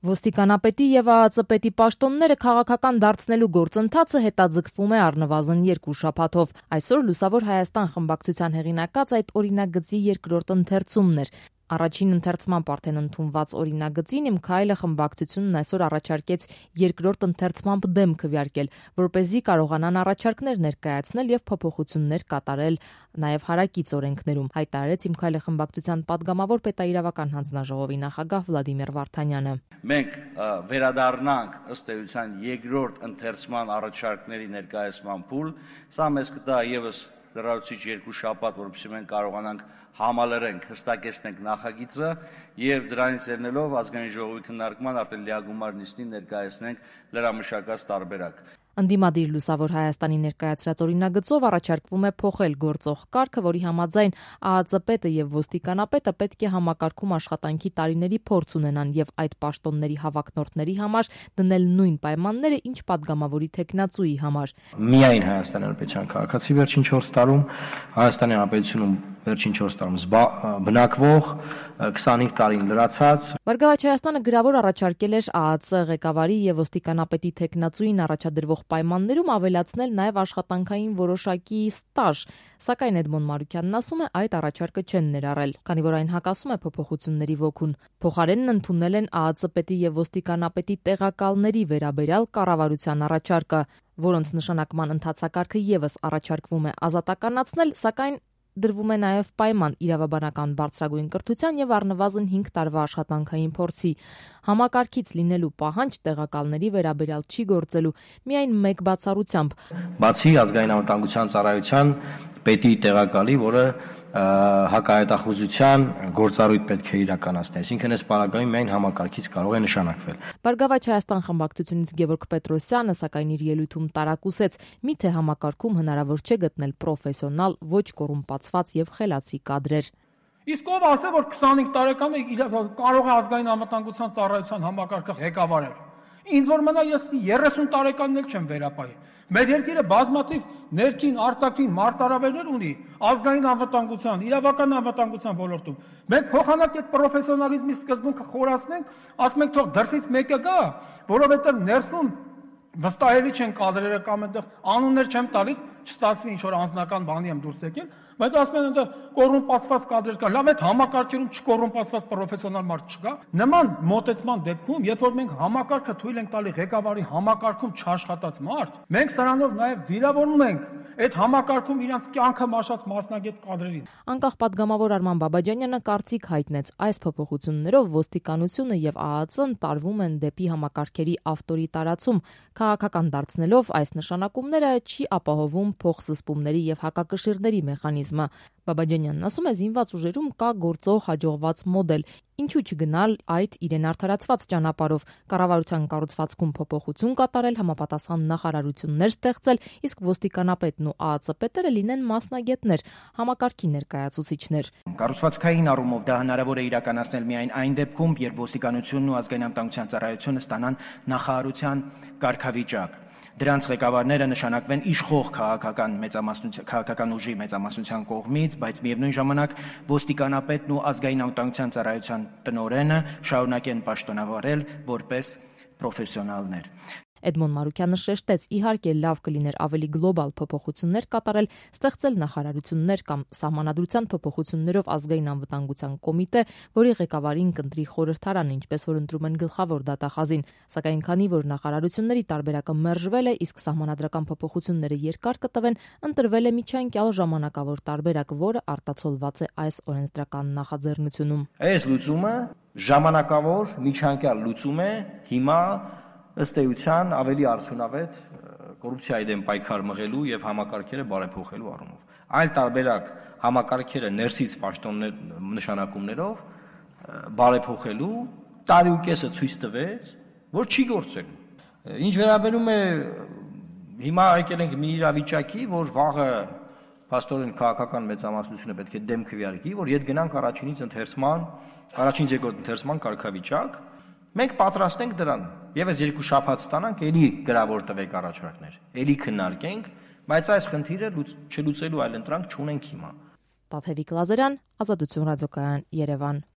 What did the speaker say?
Ոստիկանապետի եւ ԱԱԾ պետի պաշտոնները քաղաքական դարձնելու գործընթացը հետաձգվում է առնվազն 2 շաբաթով։ Այսօր Լուսավոր Հայաստան խմբակցության հեղինակած այդ օրինագծի երկրորդ ընթերցումն էր։ Առաջին ընթերցման արդեն ընդունված օրինագծին Իմ քայլը խմբակցությունն այսօր առաջարկեց երկրորդ ընթերցմամբ դեմ քվեարկել, որպեսզի կարողանան առաջարկներ ներկայացնել եւ փոփոխություններ կատարել նաեւ հարակից օրենքներում, հայտարարեց Իմ քայլը խմբակցության падգամավոր պետաիրավական հանձնաժողովի նախագահ Վլադիմիր Վարդանյանը։ Մենք վերադառնանք ըստ էության երկրորդ ընթերցման առաջարկների ներկայացման փուլ, սա մեզ կտա եւս լրացուցիչ 2 շաբաթ, որովհետեւ մենք կարողանանք համալրենք, հստակեցնենք նախագիծը եւ դրանից ելնելով ազգային ժողովի քննարկման արդեն լիագումար նիստին ներկայացնենք լրամշակած տարբերակ։ Ընդդիմադիր Լուսավոր Հայաստանի ներկայացրած օրինագծով առաջարկվում է փոխել գործող կարգը, որի համաձայն ԱԱԾ պետը եւ ոստիկանապետը պետք է համակարգում աշխատանքի տարիների փորձ ունենան եւ այդ պաշտոնների հավակնորդների համար դնել նույն պայմանները, ինչ падգամավորի թեկնածուի համար։ Միայն Հայաստանի Հանրապետության քաղաքացի վերջին 4 տարում, Հայաստանի Հանրապետությունում վերջին 4 տարում բնակվող, 25 տարին լրացած։ Բարգավաճ Հայաստանը գրավոր առաջարկել էր ԱԱԾ ղեկավարի եւ ոստիկանապետի թեկնածուին առաջադրվող պայմաններում ավելացնել նաեւ աշխատանքային որոշակի ստաժ, սակայն Էդմոն Մարուկյանն ասում է, այդ առաջարկը չեն ներառել, քանի որ այն հակասում է փոփոխությունների ոգուն։ Փոխարենն ընդունել են ԱԱԾ պետի եւ ոստիկանապետի տեղակալների վերաբերյալ կառավարության առաջարկը, որոնց նշանակման ընթացակարգը եւս առաջարկվում է ազատականացնել, սակայն դրվում է նաև պայման իրավաբանական բարձրագույն կրթության եւ առնվազն 5 տարվա աշխատանքային փորձի։ Համակարգից լինելու պահանջ տեղակալների վերաբերյալ չի գործելու, միայն մեկ բացառությամբ։ Բացի ազգային անվտանգության ծառայության պետի տեղակալի, որը հակահայտախուզության գործառույթ պետք է իրականացնի, այսինքն այս պարագայում միայն համակարգից կարող է նշանակվել։ Բարգավաճ Հայաստան խմբակցությունից Գևորգ Պետրոսյանը սակայն իր ելույթում տարակուսեց, միթե համակարգում հնարավոր չէ գտնել պրոֆեսիոնալ, ոչ կոռումպացված եւ խելացի կադրեր։ Իսկ ով ասե, որ 25 տարեկանը կարող է ազգային անվտանգության ծառայության համակարգը ղեկավարել։ Ինձ որ մնա ես 30 տարեկանն էլ չեմ վերապահի։ Մեր երկիրը բազմաթիվ ներքին, արտաքին մարտահրավերներ ունի ազգային անվտանգության, իրավական անվտանգության ոլորտում։ Մենք փոխանակ այդ պրոֆեսիոնալիզմի սկզբունքը խորացնենք, ասում ենք թող դրսից մեկը գա, որովհետև ներսում վստահելի չեն կադրերը կամ այնտեղ անուններ չեմ տալիս, չստացվի ինչ որ անձնական բանի եմ դուրս եկել, բայց ասում են այնտեղ կոռումպացված կադրեր կա։ Լավ, այդ համակարգերում չկոռումպացված պրոֆեսիոնալ մարդ չկա։ Նման մոտեցման դեպքում, երբ որ մենք համակարգը թույլ ենք տալի ղեկավարի համակարգում չաշխատած մարդ, մենք սրանով նաև վիրավորում ենք այդ համակարգում իրանց կյանքը մաշած մասնագետ կադրերին։ Անկախ падգամավոր Արման Բաբաջանյանը կարծիք հայտնեց, այս փոփոխություններով ոստիկանությունը եւ ԱԱԾ-ն տարվում են դեպի համակարգերի ավտորիտարացում, քաղաքական դարձնելով այս նշանակումները չի ապահովում փոխզսպումների եւ հակակշիռների մեխանիզմը։ Բաբաջանյանն ասում է, զինված ուժերում կա գործող հաջողված մոդել, ինչու չգնալ այդ իրեն արդարացված ճանապարհով, կառավարության կառուցվածքում փոփոխություն կատարել, համապատասխան նախարարություններ ստեղծել, իսկ ոստիկանապետն ու ԱԱԾ պետերը լինեն մասնագետներ, համակարգի ներկայացուցիչներ։ Կառուցվածքային առումով դա հնարավոր է իրականացնել միայն այն դեպքում, երբ ոստիկանությունն ու ազգային անվտանգության ծառայությունը ստանան նախարարության կարգավիճակ։ Դրանց ղեկավարները նշանակվեն իշխող քաղաքական ուժի մեծամասնության կողմից, բայց միևնույն ժամանակ ոստիկանապետն ու ազգային անվտանգության ծառայության տնօրենը շարունակեն պաշտոնավարել որպես պրոֆեսիոնալներ։ Էդմոն Մարուկյանը շեշտեց, իհարկե լավ կլիներ ավելի գլոբալ փոփոխություններ կատարել, ստեղծել նախարարություններ կամ սահմանադրության փոփոխություններով ազգային անվտանգության կոմիտե, որի ղեկավարին կընտրի խորհրդարանը, ինչպես որ ընտրում են գլխավոր դատախազին, սակայն քանի որ նախարարությունների տարբերակը մերժվել է, իսկ սահմանադրական փոփոխությունները երկար կտվեն, ընտրվել է միջանկյալ ժամանակավոր տարբերակ, որը արտացոլված է այս օրենսդրական նախաձեռնությունում։ Այս լուծումը ժամանակավոր միջանկյալ լուծում է հիմա ըստ էության ավելի արդյունավետ կոռուպցիայի դեմ պայքար մղելու եւ համակարգերը բարեփոխելու առումով։ Այլ տարբերակ համակարգերը ներսից պաշտոններ նշանակումներով բարեփոխելու տարի ու կեսը ցույց տվեց, որ չի գործելու։ Ինչ վերաբերում է հիմա եկել ենք մի իրավիճակի, որ վաղը փաստորեն քաղաքական մեծամասնությունը պետք է դեմ քվեարկի, որ իդ գնանք առաջինից երկրորդ ընթերցման կարգավիճակ։ Մենք պատրաստ ենք դրան, եւս 2 շաբաթ ստանանք, ելի գրավոր տվեք առաջարկներ, ելի քննարկենք, բայց այս խնդիրը չլուծելու այլ ընտրանք չունենք հիմա։ Տաթևիկ Լազարյան, Ազատություն ռադիոկայան, Երևան։